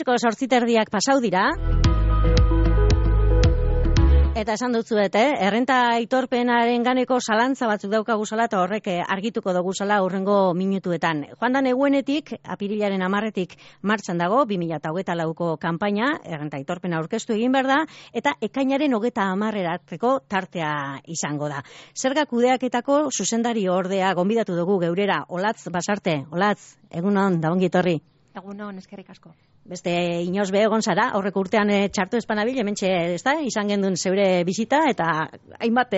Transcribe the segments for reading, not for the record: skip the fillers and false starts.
Arratsaldeko 8:30 pasau dira. Eta esan dutzuet, errenta aitorpenaren ganeko zalantza batzuk daukaguzala eta horrek argituko duguzala hurrengo minutuetan. Joan da neguenetik, apirilaren 10-etik martxan dago, 2024ko kanpaina, errenta aitorpena aurkeztu egin behar da, eta ekainaren 30-erako tartea izango da. Zerga kudeaketako zuzendari ordea gonbidatu dugu geurera, Olatz Basarte. Olatz, egunon, da ongi etorri. Egunon, eskerrik asko. Beste inoz be egon zara, aurreko urtean txartu espanabil, hementxe, ezta, izan gendun zeure bisita, eta hainbat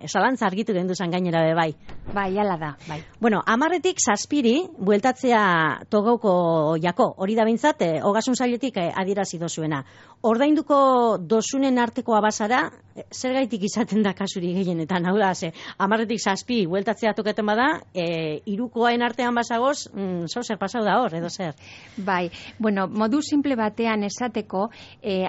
zalantza argitu genduzan gainera be bai. Bai, hala da, bai. Bueno, 10-etik 7 bueltatzea togauko jako, hori da bintzat, ogasun sailetik adierazi dozuena. Ordainduko dosunen arteko abazara, zergaitik izaten da kasuri gehienetan, hau da, 10-etik 7 bueltatzea toketen bada, hirukoen artean basagoz, zer pasau da hor, edo zer? Bai, bueno, modu simple batean esateko,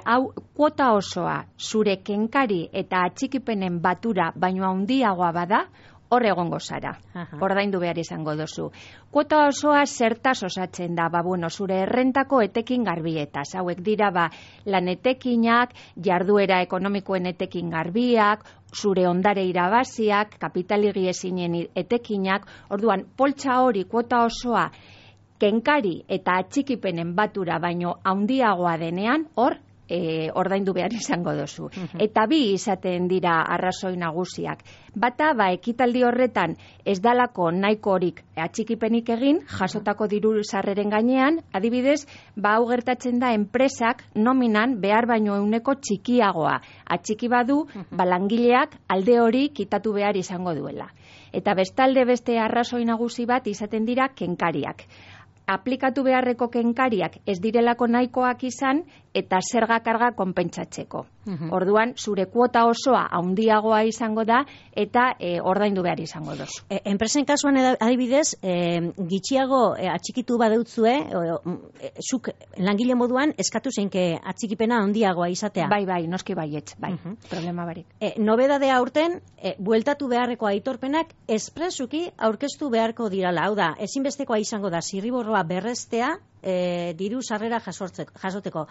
hau kuota osoa zure kenkari eta atxikipenen batura baino handiagoa bada, hor egongo zara, ordaindu behar izango dozu. Kuota osoa zertaz osatzen da, zure errentako etekin garbietaz. Hauek dira, lan etekinak, jarduera ekonomikoen etekin garbiak, zure ondare irabaziak, kapitaligi ezinen etekinak, orduan, poltsa hori kuota osoa kenkari eta atxikipenen batura baino handiagoa denean, hor ordaindu behar izango dozu. Eta bi izaten dira arrazoi nagusiak. Bata, ekitaldi horretan ez dalako nahiko horik atxikipenik egin, jasotako diru sarreren gainean, adibidez, hau gertatzen da enpresak nominan behar baino euneko txikiagoa. Atxiki badu, langileak alde hori kitatu behar izango duela. Eta bestalde beste arrazoi nagusi bat izaten dira kenkariak. Aplikatu beharreko kenkariak ez direlako nahikoak izan eta zerga karga konpentsatzeko. Orduan, zure kuota osoa handiagoa izango da eta ordaindu behar izango dozu. Enpresen kasuan adibidez, gitxiago atxikitu badeutzue, zuk langile moduan eskatu zeinke atxikipena handiagoa izatea. Bai, noski baietz, bai, problema barik. Nobedadea aurten, bueltatu beharreko aitorpenak espresuki aurkeztu beharko dirala. Hau da, ezinbestekoa izango da zirriborroa berrestea, diru sarrera jasoteko.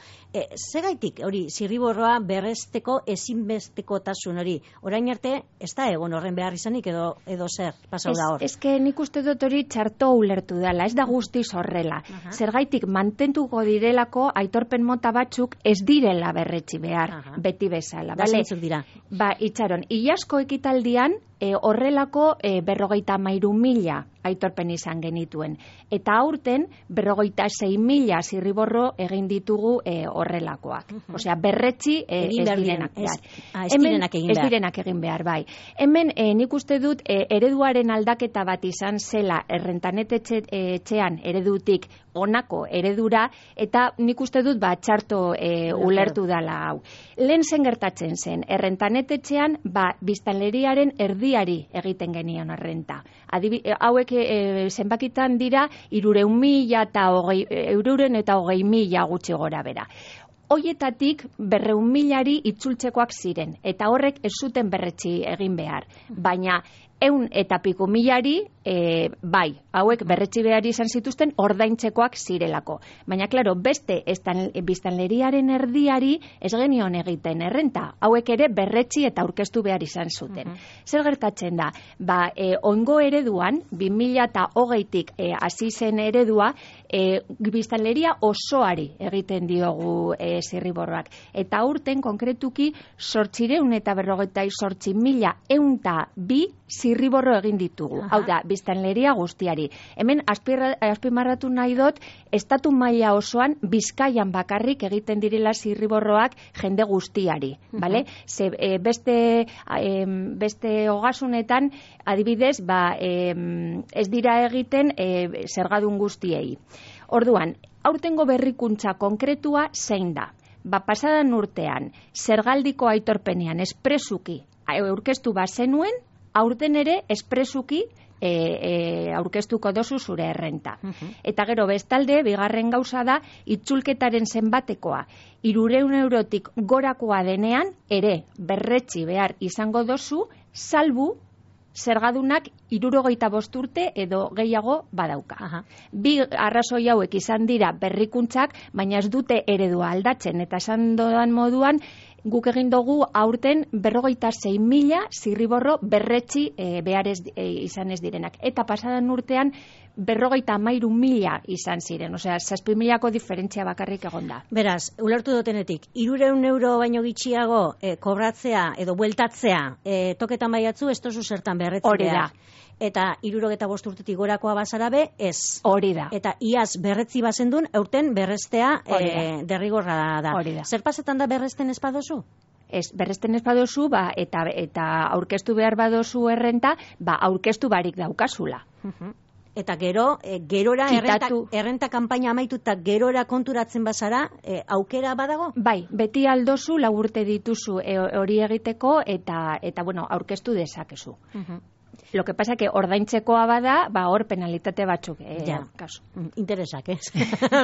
Zegaitik hori zirriborroa berresteko ezinbestekotasun hori? Orain arte ez da egon horren behar izanik edo zer pasau da hor? Eske nik uste dut hori txarto ulertu dela, ez da guztiz horrela. Zergaitik mantentuko direlako aitorpen mota batzuk ez direla berretsi behar, beti bezala. Zeintzuk dira? Itxaron, Iazko ekitaldian horrelako 53.000 aitorpen izan genituen. Eta aurten 56.000 zirriborro egin ditugu horrelakoak. Osea, berretsi ez direnak egin behar, bai. Hemen nik uste dut ereduaren aldaketa bat izan zela errentanetetxean eredutik honako eredura, eta nik uste dut txarto ulertu dala hau. Lehen zen gertatzen zen, errentanetetxean biztanleriaren erdiari egiten genion errenta. Hauek zenbakitan dira 320.000 gutxi gora bera. Hoietatik 200.000 itzultzekoak ziren, eta horrek ez zuten berretsi egin behar. Baina 100 eta piko milari, hauek berretsi behar izan zituzten ordaintzekoak zirelako. Baina, klaro, beste biztanleriaren erdiari ez genion egiten errenta. Hauek ere berretsi eta aurkeztu behar izan zuten. Zer gertatzen da? Ongo ereduan, 2020tik hasi zen eredua, biztanleria osoari egiten diogu zirriborroak. Eta aurten, konkretuki, 848.102 zirriborro egin ditugu. Hau da, biztanleria guztiari. Hemen azpimarratu nahi dut, estatu maila osoan Bizkaian bakarrik egiten direla zirriborroak jende guztiari. Beste ogasunetan, adibidez, ez dira egiten zergadun guztiei. Orduan, aurtengo berrikuntza konkretua zein da? Pasadan urtean, zergaldiko aitorpenean espresuki aurkeztu bazenuen, aurten ere espresuki aurkeztuko dozu zure errenta. Eta gero bestalde, bigarren gauza da, itzulketaren zenbatekoa 300 eurotik gorakoa denean, ere berretsi behar izango dozu, salbu zergadunak 65 urte edo gehiago badauka. Bi arrazoi hauek izan dira berrikuntzak, baina ez dute eredua aldatzen, eta esan doan moduan, guk egin dugu aurten 56.000 zirriborro berretsi behar izan ez direnak. Eta pasadan urtean 53.000 izan ziren, osea, 6.000ko diferentzia bakarrik egon da. Beraz, ulertu dutenetik, 300 euro baino gitxiago kobratzea edo bueltatzea toketan baiatzu, ez tozu zertan berretzi Hori da. Eta 65 urtetik gorakoa bazara be, ez. Hori da. Eta iaz berretzi bazendun, eurten berrestea derrigorra da. Hori da. Zer pasetan da berresten ez badozu? Ez, berresten ez badozu, eta aurkeztu behar badozu errenta, aurkeztu barik daukazula. Eta gerora errenta kanpaina amaituta gerora konturatzen bazara, aukera badago? Bai, beti aldozu, 4 urte dituzu hori egiteko, eta bueno, aurkeztu dezakezu. Lo que pasa que ordaintzekoa bada, hor penalitate batzuk. Kasu. Interesak, ez?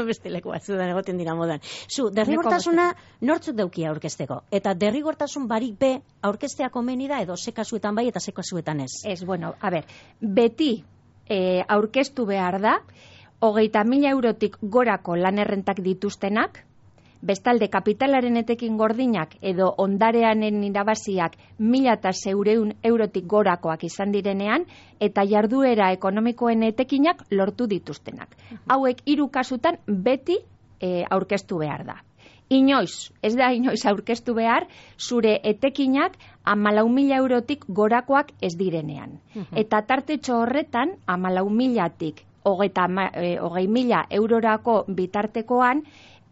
Beste leku batzudan egoten dira modan. Zu, derrigortasuna nortzuk daukia aurkezteko? Eta derrigortasun barik be aurkeztea komeni da edo ze kasuetan bai eta ze kasuetan ez? Ez, bueno, a ber, beti aurkeztu behar da, 30.000 eurotik gorako lan errentak dituztenak, bestalde kapitalaren etekin gordinak edo ondareanen irabaziak 1.600 eurotik gorakoak izan direnean, eta jarduera ekonomikoen etekinak lortu dituztenak. Hauek 3 kasutan beti aurkeztu behar da. Ez da inoiz aurkeztu behar, zure etekinak 14.000 eurotik gorakoak ez direnean. Eta tartetxo horretan, 14.000tik 20.000 eurorako bitartekoan,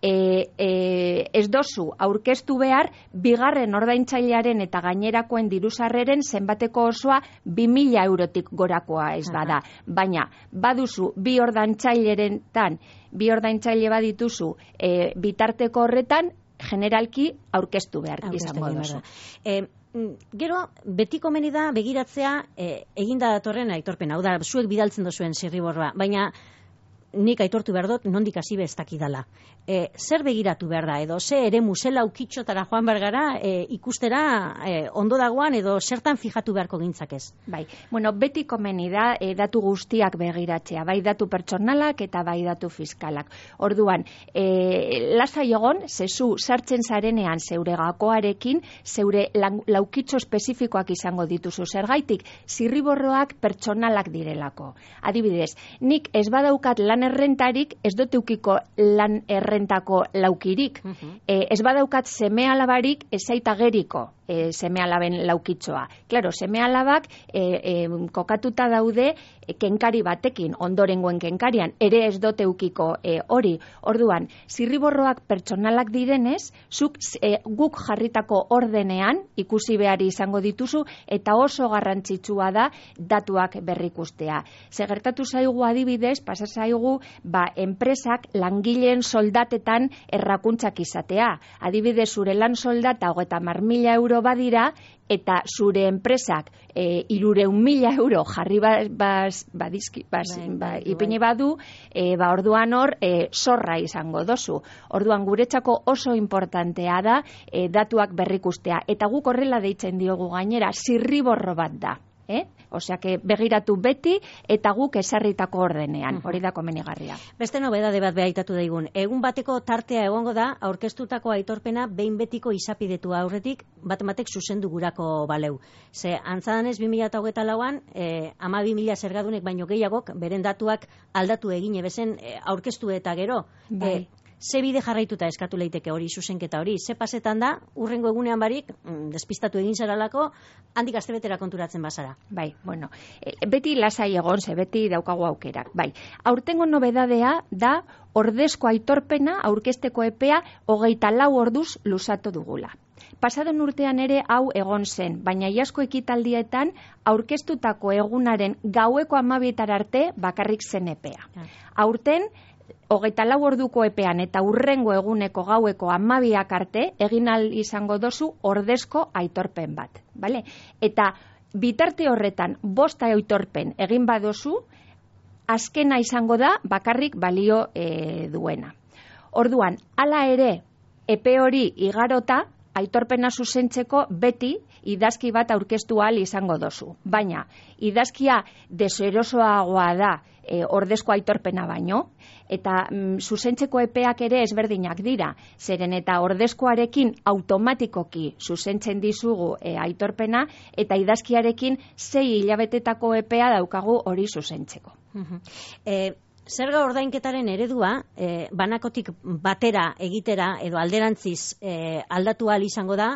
ez dozu aurkeztu behar bigarren ordaintzailearen eta gainerakoen diruzarreren zenbateko osoa 2.000 eurotik gorakoa ez bada. Baina baduzu bi ordaintzaile badituzu bitarteko horretan generalki aurkeztu behar izango duzu. Gero, beti komeni da begiratzea eginda datorren aitorpena. Hau da, zuek bidaltzen duzuen zirriborroa, baina nik aitortu behar dut, nondik hasi be ez dakidala. Zer begiratu behar da, edo ze ere musela ukitxotara joan bergara ikustera ondo dagoan, edo zertan fijatu beharko gintzak ez? Bai, bueno, beti komeni da datu guztiak begiratzea, bai datu pertsonalak eta bai datu fiskalak. Orduan, lasai egon, zezu sartzen zarenean zeure gakoarekin, zeure laukitxo espezifikoak izango dituzu. Zergaitik, zirriborroak pertsonalak direlako. Adibidez, nik ez badaukat lan errentarik, ez dut eukiko lan errentako laukirik. Ez badaukat seme alabarik, ez zaita geriko seme alaben laukitzoa. Claro, seme alabak kokatuta daude kenkari batekin, ondorengoen kenkarian, ere ez dut eukiko hori. Orduan, zirriborroak pertsonalak direnez, guk jarritako ordenean ikusi behar izango dituzu, eta oso garrantzitsua da datuak berrikustea. Gertatu zaigu adibidez, pasa zaigu, enpresak langileen soldatetan errakuntzak izatea. Adibidez, zure lan soldata 30.000 euro badira, eta zure enpresak 300.000 euro jarri ipini badu, orduan hor zorra izango dozu. Orduan guretzako oso importantea da datuak berrikustea. Eta guk horrela deitzen diogu gainera, zirriborro bat da. Osea, begiratu beti eta guk esarritako ordenean, hori da komenigarria. Beste nobedade bat behaitatu daigun. Egun bateko tartea egongo da, aurkeztutako aitorpena behin betiko izapidetua aurretik, batek zuzendu gurako baleu. Ze, antzadanez 2024an, 12.000 zergadunek baino gehiagok, beren datuak aldatu egin ebezen aurkeztu eta gero. Ze bide jarraituta eskatu leiteke hori, zuzenketa hori? Ze pasetan da, urrengo egunean barik, despistatu egin zaralako, handik astebetera konturatzen bazara? Bai, bueno, beti lasai egon, ze beti daukagu aukerak. Bai, aurtengo nobedadea da, ordezko aitorpena, aurkezteko epea, 24 orduz luzatu dugula. Pasadon urtean ere hau egon zen, baina iazko ekitaldietan aurkeztutako egunaren gaueko 12 arte bakarrik zen epea. Aurten, 24 orduko epean eta urrengo eguneko gaueko 12 arte egin ahal izango dozu ordezko aitorpen bat. Vale? Eta bitarte horretan 5 aitorpen egin badozu, azkena izango da bakarrik balio duena. Orduan, hala ere, epe hori igarota, aitorpena zuzentzeko beti idazki bat aurkeztu ahal izango dozu. Baina, idazkia deserosoagoa da ordezko aitorpena baino, eta zuzentzeko epeak ere ezberdinak dira, zeren eta ordezkoarekin automatikoki zuzentzen dizugu aitorpena, eta idazkiarekin 6 hilabetetako epea daukagu hori zuzentzeko. Zerga ordainketaren eredua, banakotik batera egitera edo alderantziz aldatu ahal izango da,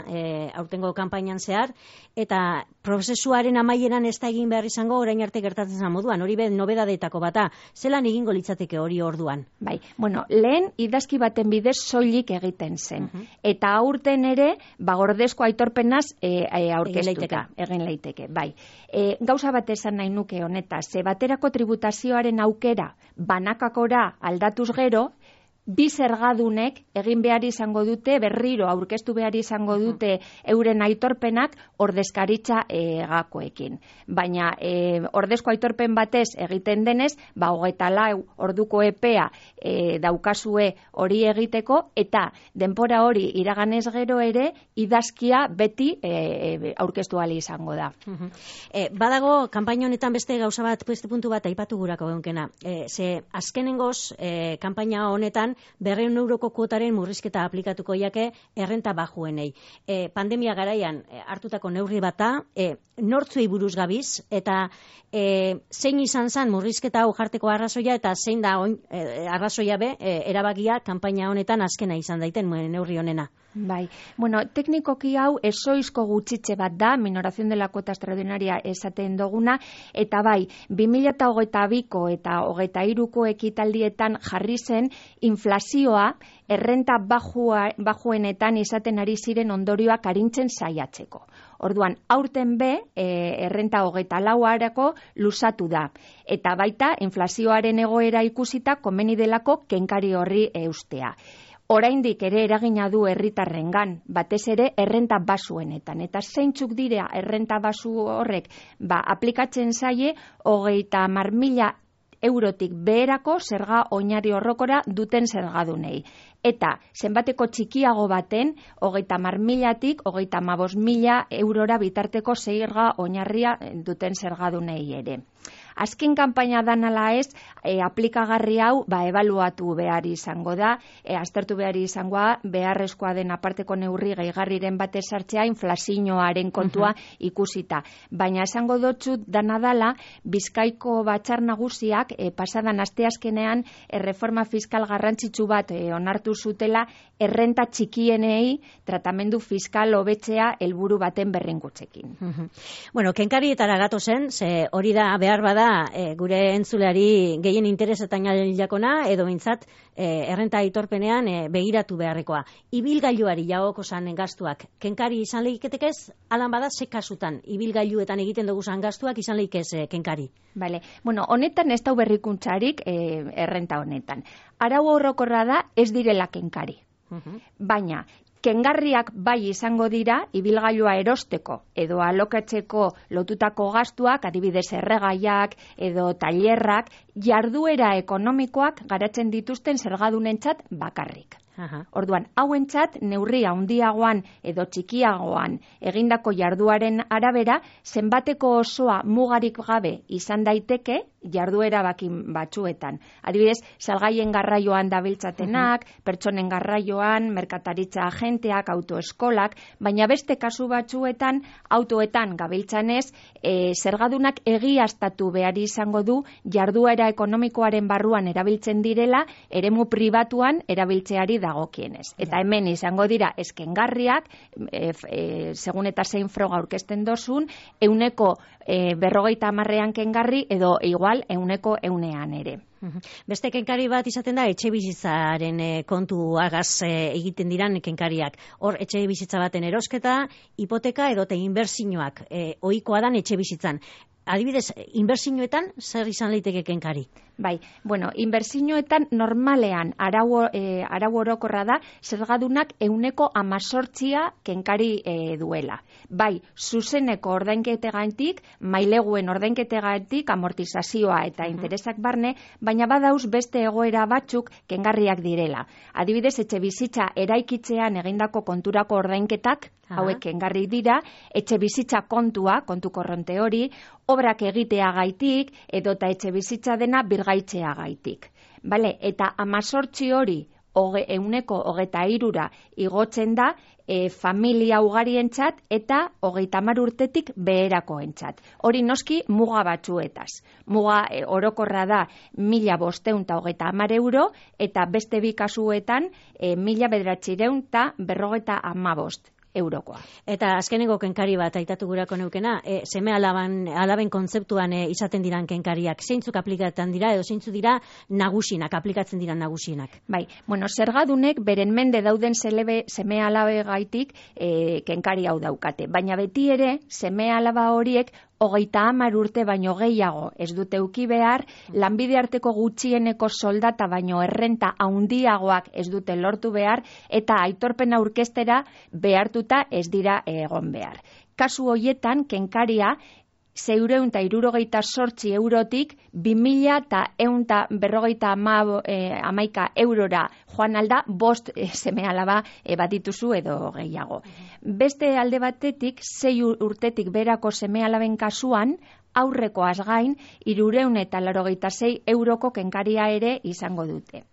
aurtengo kanpainan zehar, eta prozesuaren amaieran ez da egin behar izango orain arte gertatzen zen moduan, hori nobedadetako bata, zelan egingo litzateke hori orduan? Bai, lehen idazki baten bidez soilik egiten zen, eta aurten ere, ordezko aitorpenaz aurkeztuta, egin leiteke, bai. Gauza bat esan nahi nuke honetaz, baterako tributazioaren aukera banakakora aldatuz gero, bi zergadunek egin behar izango dute, berriro aurkeztu behar izango dute euren aitorpenak ordezkaritza gakoekin. Baina ordezko aitorpen batez egiten denez, 24 orduko epea daukazue hori egiteko, eta denbora hori iraganez gero ere, idazkia beti aurkeztu ahal izango da. Badago, kanpaina honetan beste gauza bat, beste puntu bat aipatu gurako genkena. Ze azkenengoz, kanpaina honetan, 200 euroko kuotaren murrizketa aplikatuko jake errenta bajuenei. Pandemia garaian hartutako neurri bata, nortzuei buruz gabiz, eta zein izan zen murrizketa hau jarteko arrazoia, eta zein da arrazoia be, erabakia kanpaina honetan azkena izan daiten neurri honena. Bai, teknikoki hau ezoizko gutxitze bat da, minoración de la cuota extraordinaria esaten duguna, eta bai, 2022ko eta 2023ko ekitaldietan jarri zen inflazioa errenta bajuenetan izaten ari ziren ondorioak arintzen saiatzeko. Orduan, aurten be, errenta 24arako luzatu da. Eta baita, inflazioaren egoera ikusita, komeni delako kenkari horri eustea. Oraindik ere eragina du herritarrengan, batez ere errenta basuenetan. Eta zeintzuk dira errenta basu horrek, aplikatzen zaie 30.000 eurotik beherako zerga oinarri orrokora duten zergadunei. Eta zenbateko txikiago baten 30.000tik 35.000 eurora bitarteko zerga oinarria duten zergadunei ere. Azken kanpaina dan ala ez, aplikagarri hau ebaluatu behar izango da, aztertu behar izangoa, beharrezkoa den aparteko neurri gehigarriren batez sartzea inflazioaren kontua ikusita. Baina esango dotzut dana dala, Bizkaiko Batzar Nagusiak pasadan asteazkenean reforma fiskal garrantzitsu bat onartu zutela errenta txikienei tratamendu fiskal hobetzea helburu baten berringutzekin. Kenkarietara gatozen, ze hori da behar bada gure entzuleari gehien interesetan jakona, edo mintzat errenta aitorpenean begiratu beharrekoa. Ibilgailuari jagoko zan gastuak, kenkari izan lehiketekez, alan bada ze kasutan, ibilgailuetan egiten dugu zan gastuak izan lehikez kenkari. Bale, honetan ez dau berrikuntzarik errenta honetan. Arau orokorra da ez direla kenkari. Baina, kengarriak bai izango dira, ibilgailua erosteko edo alokatzeko lotutako gastuak, adibidez erregaiak edo tailerrak, jarduera ekonomikoak garatzen dituzten zergadunentzat bakarrik. Orduan, hauentzat neurri handiagoan edo txikiagoan egindako jarduaren arabera, zenbateko osoa mugarik gabe izan daiteke jarduera batzuetan. Adibidez, salgaien garraioan dabiltzatenak, pertsonen garraioan, merkataritza agenteak, autoeskolak, baina beste kasu batzuetan, autoetan gabiltzanez, zergadunak egiaztatu behar izango du jarduera ekonomikoaren barruan erabiltzen direla, eremu pribatuan erabiltzeari dagokienez. Eta hemen izango dira eskengarriak, segun eta zein froga aurkezten dozun, 50% kengarri edo igual 100% ere. Beste kenkari bat izaten da etxe bizitzaren kontuagaz egiten diran kenkariak. Hor etxe bizitza baten erosketa, hipoteka edo inbertsioak ohikoa dan etxe bizitzan. adibidez, inbertsioetan zer izan liteke kenkari? Bai, bueno, inbertsioetan normalean arau orokorra da zergadunak 18% kenkari duela. Bai, zuzeneko ordainketegatik, maileguen ordainketegatik, amortizazioa eta interesak barne, baina badauz beste egoera batzuk kengarriak direla. Adibidez, etxe bizitza eraikitzean egindako konturako ordainketak, hauek kengarri dira, etxe bizitza kontua, kontu korronte hori, obrak egiteagaitik, edota etxe bizitza dena birgaitzeagaitik. Bale, eta 18 hori 23% igotzen da familia ugarientzat eta 30 urtetik beherakoentzat. Hori noski muga batzuetaz. Muga orokorra da 1.530 euro eta beste bi kasuetan 1.945 eurokoa. Eta azkeneko kenkari bat aitatu gurako neukena, seme alaben kontzeptuan izaten diran kenkariak, zeintzuk aplikatzen dira edo zeintzu dira nagusinak, aplikatzen dira nagusienak? Bai, bueno, zergadunek beren mende dauden seme alabe gaitik kenkari hau daukate, baina beti ere seme alaba horiek 30 urte baino gehiago ez dute uki behar, lanbide arteko gutxieneko soldata baino errenta handiagoak ez dute lortu behar, eta aitorpena aurkeztera behartuta ez dira egon behar. Kasu hoietan, kenkaria 668 eurotik 2.151 eurora joan alda 5 seme alaba badituzu edo gehiago. Beste alde batetik, 6 urtetik berako seme alaben kasuan, aurrekoaz gain, 386 euroko kenkaria ere izango dute.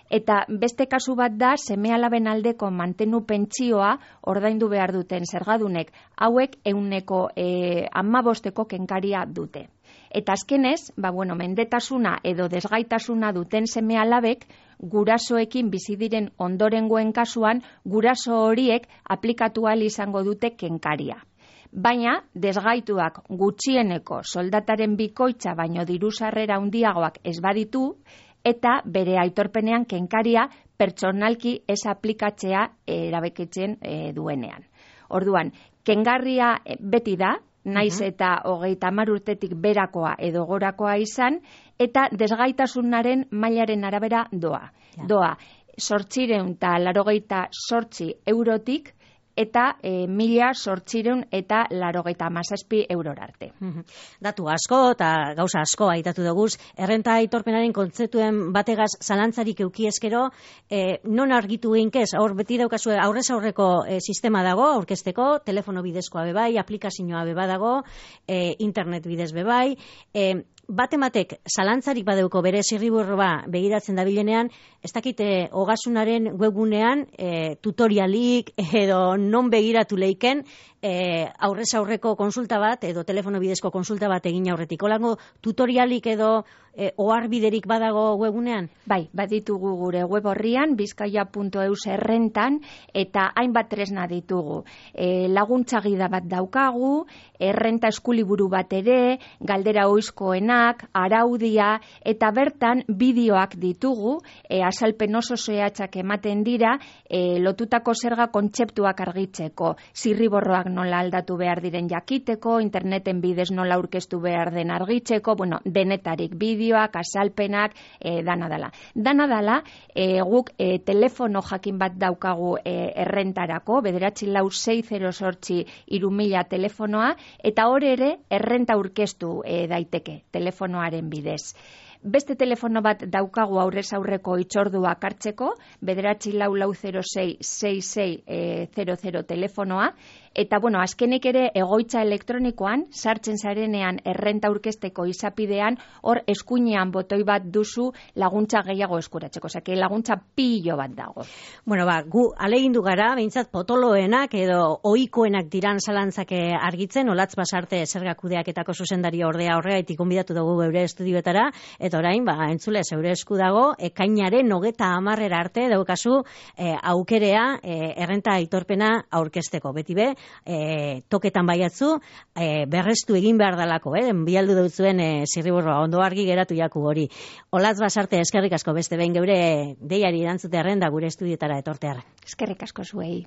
Eta beste kasu bat da, seme alaben aldeko mantenu pentsioa ordaindu behar duten zergadunek, hauek 15% kenkaria dute. Eta azkenez, mendetasuna edo desgaitasuna duten seme alabek, gurasoekin bizi diren ondorengoen kasuan, guraso horiek aplikatu ahal izango dute kenkaria. Baina, desgaituak gutxieneko soldataren bikoitza baino diru sarrera handiagoak ez baditu, eta bere aitorpenean kenkaria pertsonalki ez aplikatzea erabakitzen duenean. Orduan, kengarria beti da, naiz eta 30 urtetik berakoa edo gorakoa izan, eta desgaitasunaren mailaren arabera doa. Doa, 888 eurotik, eta 1.887 eurora arte. Datu asko eta gauza asko aitatu dugu, errenta aitorpenaren kontzeptuen bategaz zalantzarik euki eskero, non argitu einkez, hor beti daukazue aurrez aurreko sistema dago, aurkezteko, telefono bidezkoa bebai, aplikazioa beba dago, internet bidez bebai, batematek zalantzarik badeuko bere zirriborroa begiratzen dabilenean, ez dakite ogasunaren webgunean tutorialik edo non begiratu leiken aurrez aurreko konsulta bat edo telefono bidezko konsulta bat egin aurretik. Holango tutorialik edo oharbiderik badago webgunean? Bai, baditugu gure web horrian, bizkaia.eus errentan, eta hainbat tresna ditugu. Laguntza gida bat daukagu, errenta eskuliburu bat ere, galdera oizkoenak, araudia, eta bertan bideoak ditugu, azalpen oso zehatzak ematen dira, lotutako zerga kontzeptuak argitzeko, zirriborroak nola aldatu behar diren jakiteko, interneten bidez nola aurkeztu behar den argitzeko, denetarik bideoak, azalpenak, dana dala. Dana dala, guk telefono jakin bat daukagu errentarako, 946083000 telefonoa, eta hor ere errenta aurkeztu daiteke telefonoaren bidez. Beste telefono bat daukagu aurrez aurreko hitzorduak hartzeko, 944066600 telefonoa, eta azkenik ere egoitza elektronikoan, sartzen zarenean errenta aurkezteko izapidean, hor eskuinean botoi bat duzu laguntza gehiago eskuratzeko, osea, laguntza pilo bat dago. Gu alegindu gara, behintzat potoloenak edo ohikoenak diran zalantzak argitzen, Olatz Basarte zergakudeaketako zuzendari ordea horregaitik gonbidatu dugu geure estudioetara, eta orain, entzule, zeure esku dago, ekainaren 30 arte daukazu aukerea errenta aitorpena aurkezteko. Beti be, toketan baiatzu, berrestu egin behar dalako, bialdu dutzuen zirriborroa, ondo argi geratu jaku hori. Olatz Basarte, eskerrik asko beste behin geure deiari erantzute arren da gure estudioetara etorteara. Eskerrik asko zuei.